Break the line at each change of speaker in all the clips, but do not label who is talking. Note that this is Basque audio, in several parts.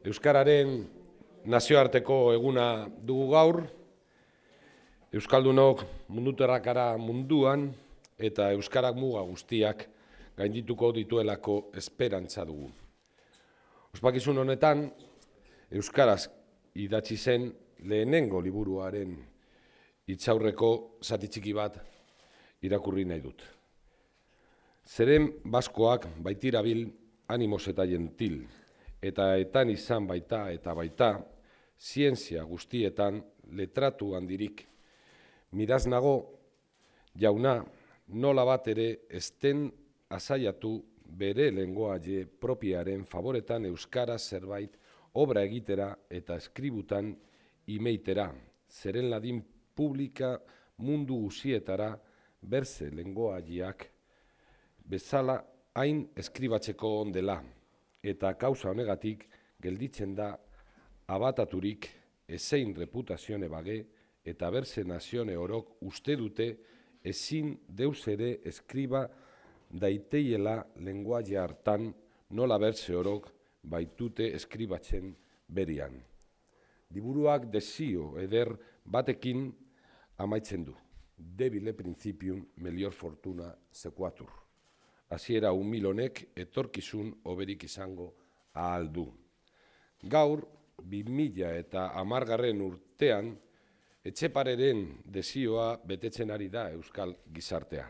Euskararen nazioarteko eguna dugu gaur, Euskaldunok munduterrakara munduan eta Euskarak muga guztiak gaindituko dituelako esperantza dugu. Ospakizun honetan, Euskaraz idatzi zen lehenengo liburuaren hitzaurreko zati txiki bat irakurri nahi dut. Zeren baskoak baitirabil animos eta gentil, eta etan izan baita eta baita, zientzia guztietan letratu handirik. Miraz nago, jauna, nola bat ere esten azaiatu bere lengoaie propiaren favoretan euskara zerbait obra egitera eta eskributan imeitera, zeren ladin publika mundu guzietara berze lengoaiak bezala hain eskribatzeko ondela, eta kauza honegatik gelditzen da abataturik ezein reputazione bage eta berze nazione orok uste dute ezin deus ere eskriba daiteiela lenguaia hartan nola berze orok baitute eskribatzen berian. Liburuak desio eder batekin amaitzen du. Debile principium melior fortuna sequatur. Hasiera umil honek etorkizun hoberik izango ahal du. Gaur, 2010 urtean, Etxepareren desioa betetzen ari da euskal gizartea.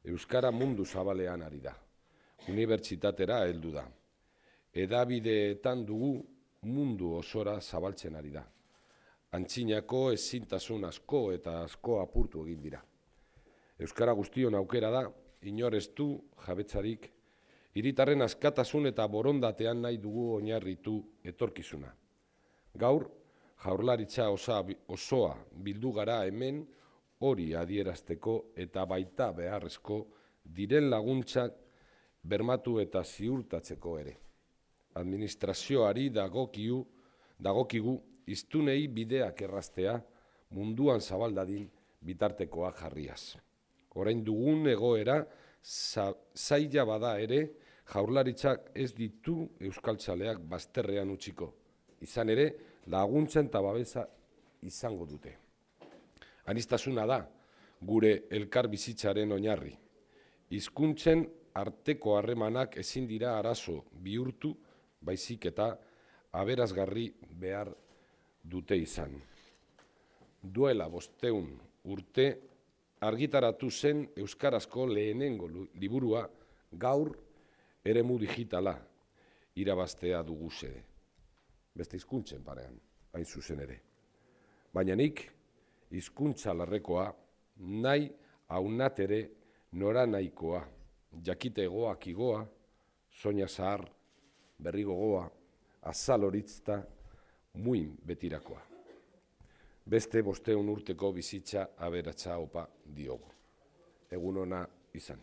Euskara mundu zabalean ari da. Unibertsitatera heldu da. Hedabideetan dugu mundu osora zabaltzen ari da. Antzinako ezintasun asko eta asko apurtu egin dira. Euskara guztion aukera da, inor ez du jabetzarik, hiritarren askatasun eta borondatean nahi dugu oinarritu etorkizuna. Gaur, jaurlaritza osoa bildu gara hemen hori adierazteko eta baita beharrezko diren laguntzak bermatu eta ziurtatzeko ere. Administrazioari dagokigu hiztunei bideak erraztea munduan zabaldadin bitartekoak jarriaz. Orain dugun egoera zaila bada ere, jaurlaritzak ez ditu euskaltzaleak bazterrean utziko. Izan ere, laguntzen eta babesa izango dute. Aniztasuna da, gure elkar bizitzaren oinarri. Hizkuntzen arteko harremanak ezin dira arazo bihurtu, baizik eta aberazgarri behar dute izan. Duela 500 urte, argitaratu zen euskarazko lehenengo liburua gaur eremu digitala irabaztea dugu xede. Beste hizkuntzen parean, hain zuzen ere. Baina nik hizkuntza larrekoa nahi aunatere nora nahikoa, jakite goak igoa, soina zahar, berri gogoa, azal horitzta, muin betirakoa. Beste 500 urteko bizitza aberatsa opa diogu. Egun ona izan.